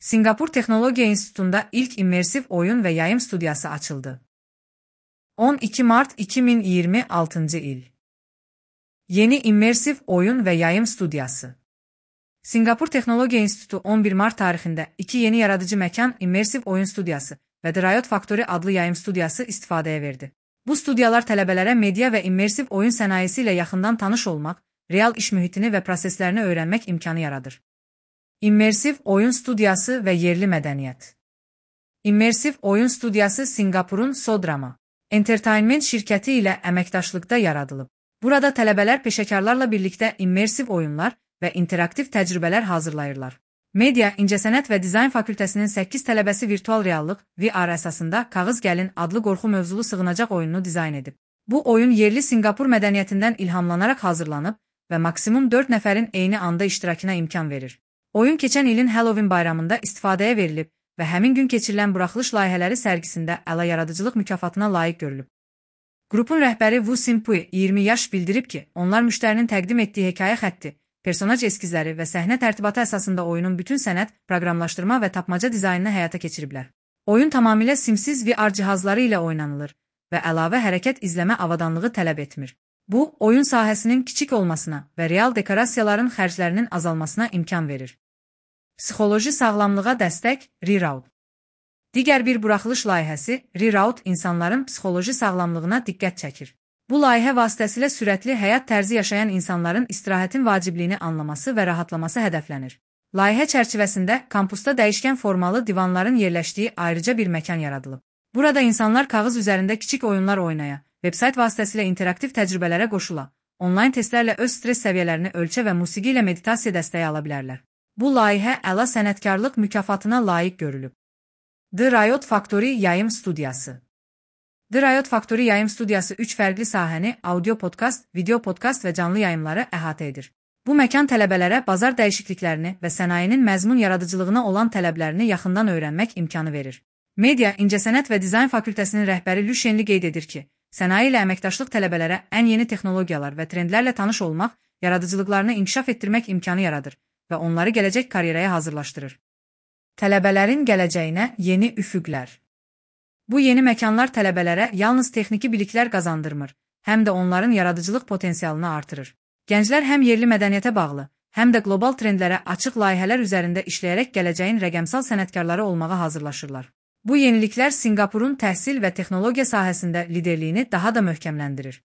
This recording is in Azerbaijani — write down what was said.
Singapur Texnologiya İnstitutunda ilk immersiv oyun və yayım studiyası açıldı. 12 Mart 2026 il. Yeni immersiv oyun və yayım studiyası. Singapur Texnologiya İnstitutu 11 Mart tarixində 2 yeni yaradıcı məkan immersiv oyun studiyası və The Riot Factory adlı yayım studiyası istifadəyə verdi. Bu studiyalar tələbələrə media və immersiv oyun sənayesi ilə yaxından tanış olmaq, real iş mühitini və proseslərini öyrənmək imkanı yaradır. İmmersiv oyun studiyası və yerli mədəniyyət. İmmersiv oyun studiyası Singapurun Sodrama Entertainment şirkəti ilə əməkdaşlıqda yaradılıb. Burada tələbələr peşəkarlarla birlikdə immersiv oyunlar və interaktiv təcrübələr hazırlayırlar. Media, İncəsənət və Dizayn Fakültəsinin 8 tələbəsi virtual reallıq VR əsasında Kağız Gəlin adlı qorxu mövzulu sığınacaq oyununu dizayn edib. Bu oyun yerli Singapur mədəniyyətindən ilhamlanaraq hazırlanıb və maksimum 4 nəfərin eyni anda iştirakına imkan verir. Oyun keçən ilin Halloween bayramında istifadəyə verilib və həmin gün keçirilən buraxılış layihələri sərgisində əla yaradıcılıq mükafatına layiq görülüb. Qrupun rəhbəri Wu Simpui 20 yaş bildirib ki, onlar müştərinin təqdim etdiyi hekayə xətti, personaj eskizləri və səhnə tərtibatı əsasında oyunun bütün sənət, proqramlaşdırma və tapmaca dizaynını həyata keçiriblər. Oyun tamamilə simsiz VR cihazları ilə oynanılır və əlavə hərəkət izləmə avadanlığı tələb etmir. Bu, oyun sahəsinin kiçik olmasına və real dekorasiyaların xərclərinin azalmasına imkan verir. Psixoloji sağlamlığa dəstək Reroute. Digər bir buraxılış layihəsi Reroute insanların psixoloji sağlamlığına diqqət çəkir. Bu layihə vasitəsilə sürətli həyat tərzi yaşayan insanların istirahətin vacibliyini anlaması və rahatlaması hədəflənir. Layihə çərçivəsində kampusda dəyişkən formalı divanların yerləşdiyi ayrıca bir məkan yaradılıb. Burada insanlar kağız üzərində kiçik oyunlar oynaya, vebsayt vasitəsilə interaktiv təcrübələrə qoşula, onlayn testlərlə öz stres səviyyələrini ölçə və musiqi ilə meditasiya dəstəyi ala bilərlər. Bu layihə əla sənətkarlıq mükafatına layiq görülüb. The Riot Factory yayım studiyası. The Riot Factory yayım studiyası 3 fərqli sahəni audio podkast, video podkast və canlı yayımları əhatə edir. Bu məkan tələbələrə bazar dəyişikliklərini və sənayenin məzmun yaradıcılığına olan tələblərini yaxından öyrənmək imkanı verir. Media, İncəsənət və Dizayn Fakültəsinin rəhbəri Lü Shenli qeyd edir ki, sənaye ilə əməkdaşlıq tələbələrə ən yeni texnologiyalar və trendlərlə tanış olmaq, yaradıcılıqlarını inkişaf etdirmək imkanı yaradır və onları gələcək karyeraya hazırlaşdırır. Tələbələrin gələcəyinə yeni üfüqlər. Bu yeni məkanlar tələbələrə yalnız texniki biliklər qazandırmır, həm də onların yaradıcılıq potensialını artırır. Gənclər həm yerli mədəniyyətə bağlı, həm də qlobal trendlərə açıq layihələr üzərində işləyərək gələcəyin rəqəmsal sənətkarları olmağa hazırlaşırlar. Bu yeniliklər Singapurun təhsil və texnologiya sahəsində liderliyini daha da möhkəmləndirir.